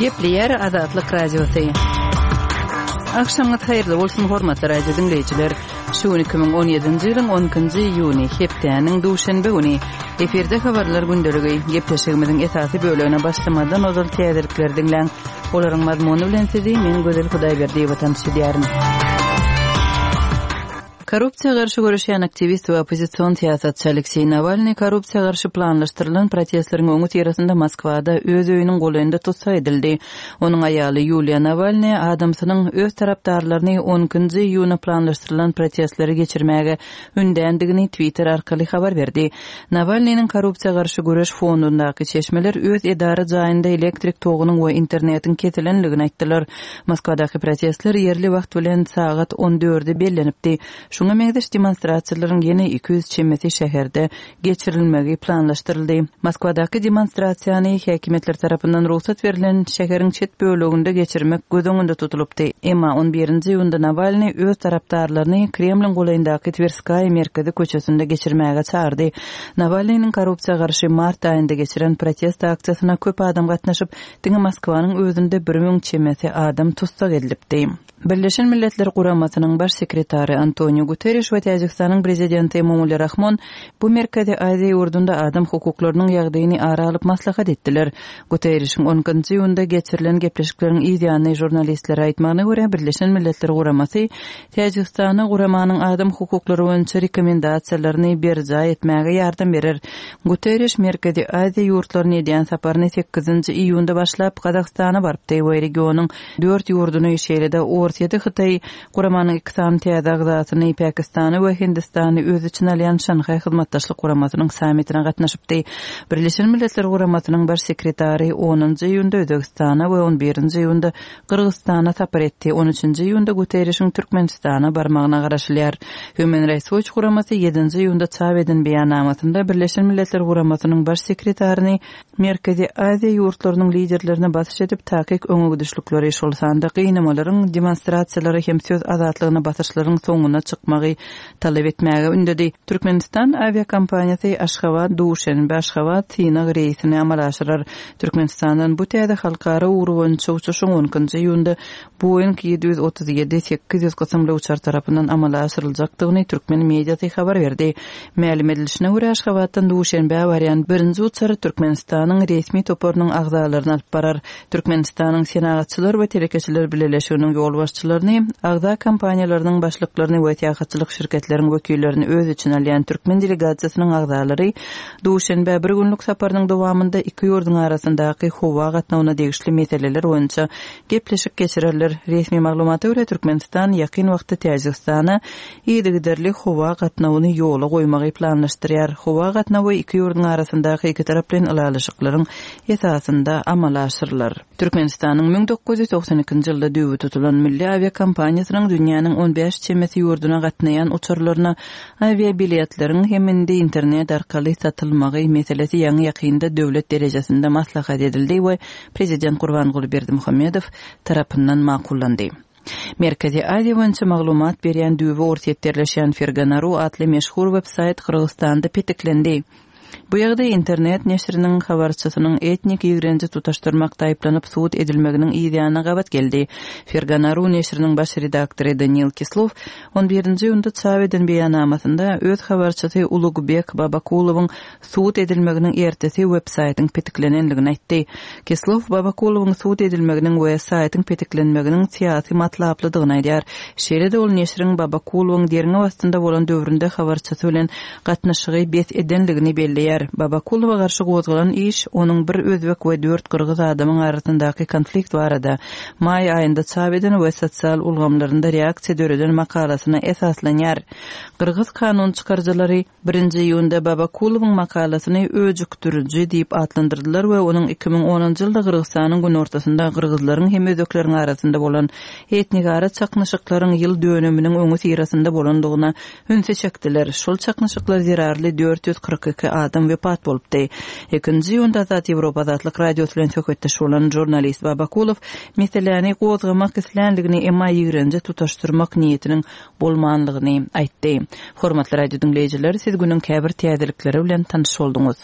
Gepleýär Azatlyk Radiosy. Agşamyňyz haýyrly bolsun, hormatly radio diňleýjiler. Şu gün 2017-nji ýylyň 12-nji iýuny, hepdäniň duşenbe güni. Efirde habarlar gündeligi. Gepleşigimiziň esasy bölegine başlamazdan ozal täzelikleri diňläň. Olaryň mazmuny bilen sizi men Gözel Hudaýberdiýewa tanyş edýärin. Korrupsiýa garşy göreşýän aktiwist we oppozision syýasatçy Alekseý Nawalnyý korrupsiýa garşy planlaşdyrylan protestleriň öňüsyrasynda Moskwada öz öýüniň golaýynda tussag edildi. Onuň aýaly Ýuliýa Nawalnaýa adamsynyň öz tarapdarlaryny on ikinji iýuna planlaşdyrylan protestleri geçirmäge ündändigini Twitter arkaly habar berdi. Nawalnynyň korrupsiýa garşy göreş fondundaky çeşmeler öz edara jaýynda elektrik togunyň we internetiň kesilendigini aýtdylar. Moskwadaky protestler ýerli wagt bilen sagat on dörde bellenipdi. Şuňa meňzeş demonstrasiýalaryň ýene 200 çemesi şäherde geçirilmegi planlaşdyryldy. Moskwadaky demonstrasiýany häkimiýetler tarapyndan rugsat berlen şäheriň çet böleginde geçirmek göz öňünde tutulypdy. Emma on birinji iýunda Nawalnyý öz tarapdarlaryny Kremliň golaýyndaky Twerskaýa merkezi köçesinde geçirmäge çagyrdy. Nawalnynyň korrupsiýa garşy mart aýynda geçiren protest aksiýasyna köp adam gatnaşyp, diňe Moskwanyň özünde 1000 çemesi adam tussag edilipdi. Birleşen Milletler Guramasynyň Baş sekretary Antoniu Guterriş we Täjigistanyň Prezidenti Emomali Rahmon bu Merkezi Aziýa ýurdunda adam hukuklarynyň ýagdaýyny ara alyp maslahat etdiler. Guterrişiň on ikinji iýunda geçirilen gepleşikleriň yz ýany žurnalistlere aýtmagyna görä, Birleşen Milletler Guramasy Täjigistana guramanyň adam hukuklary boýunça rekomendasiýalaryny berjaý etmäge ýardam berer. Guterriş Merkezi Aziýa ýurtlaryna edýän saparyny sekizinji iýunda başlap, Gazagystana barypdy we regionyň dört ýurduny, şeýle-de Orsýeti, Hytaýy, guramanyň iki sany täze agzasyny, Pakistany we Hindistany öz içine alýan Şanhaý Hyzmatdaşlyk Guramasynyň sammitine gatnaşypdy. Birleşen Milletler Guramasynyň Baş sekretary onunjy iýunda Özbegistana we on birinji iýunda Gyrgyzystana sapar etdi. On üçünji iýunda Guterrişiň Türkmenistana barmagyna garaşylýar. Human Rights Watch guramasy ýedinji iýunda çap eden beýannamasynda Birleşen Milletler Guramasynyň Baş sekretaryny Merkezi Aziýa ýurtlarynyň liderlerine basyş edip, takyk öňegidişlikleri, şol sanda gynamalaryň, demonstrasiýalara hem söz azatlygyna basyşlaryň soňuna çykmagy talap etmäge ündedi. Türkmenistan awiakompaniýasy Aşgabat, Duşenbe, Aşgabat synag reýsini amala aşyrar. Türkmenistandan bu täze halkara ugry boýunça uçuşyň on ikinji iýunda Boeing 737, 800 kysymly uçar tarapyndan amala aşyryljakdygyny türkmen mediasy habar berdi. Mälim edilişine görä, Aşgabatdan Duşenbä barýan birinji uçar Türkmenistanyň resmi toparynyň agzalaryny alyp barar. Türkmenistanyň Senagatçylar we telekeçiler bileleşiginiň ýolbaşçylaryny, agza kompaniýalarynyň başlyklaryny we syýahatçylyk şirketleriň wekillerini öz içine alýan türkmen delegasiýasynyň agzalary Duşenbä bir günlük saparynyň dowamynda iki ýurduň arasyndaky howa gatnawyna degişli meseleler boýunça gepleşik geçirerler. Resmi maglumata görä, Türkmenistan ýakyn wagtda Täjigistana yzygiderli howa gatnawyny ýola goýmagy planlaşdyrýar. Howa gatnawy iki ýurduň arasyndaky ikitaraplaýyn ylalaşyklaryň esasynda amala aşyrylar. Türkmenistanyň 1992-nji ýylda düýbi tutulan milli awiakompaniýasynyň dünýäniň on bäş çemesi ýurduna gatnaýan uçarlaryna awiabiletleriň hem indi internet arkaly satylmagy meselesi ýaňy-ýakynda döwlet derejesinde maslahat edildi we Prezident Gurbanguly Berdimuhamedow tarapyndan makullandy. Merkezi Aziýa boýunça maglumat berýän düýbi Orsýetde ýerleşýän Fergana.ru atly meşhur web-saýt Gyrgyzystanda petiklendi. Bu ýagdaý internet neşiriniň habarçysynyň etnik ýigrenji tutaşdyrmakda aýyplanyp sud edilmeginiň yzýanyna gabat geldi. Fergana.ru neşiriniň baş redaktory Daniil Kislow on birinji iýunda çap eden beýannamasynda öz habarçysy Ulugbek Babakulowyň sud edilmeginiň ertesi web-saýtyň petiklenendigini aýtdy. Kislow Babakulowyň sud edilmeginiň we saýtyň petiklenmeginiň syýasy matlaplydygyny aýdýar. Şeýle-de ol neşiriň Babakulowyň derňew astynda bolan döwründe habarçysy bilen gatnaşygy bes edendigini belleýär. Babakulowa garşy gozgalan iş onuň bir özbek we dört gyrgyz adamyň arasyndaky konflikt barada maý aýynda çap eden we sosial ulgamlarynda reaksiýa döreden makalasyna esaslanýar. Gyrgyz kanun çykaryjylary Birinji iýunda Babakulowyň makalasyny öjükdiriji diýip atlandyrdylar we onuň 2010-njy ýylda Gyrgyzystanyň günortasynda gyrgyzlaryň hem özbekleriň arasynda bolan etnigara çaknyşyklaryň ýyl dönüminiň öňüsyrasynda bolandygyna ünsi çekdiler. Şol çaknyşyklar zerarly 442 adam wepat bolupdy. Ikinji iýunda Azat Ýewropa Azatlyk Radiosy bilen söhbetdeş bolan žurnalist Babakulow meseläni gozgamak isländigini, emma ýigrenji tutaşdyrmak niýetiniň bolmanlygyny aýtdy. Hormatly radio diňleýjiler, siz günüň käbir täzelikleri bilen tanyş bolduňyz.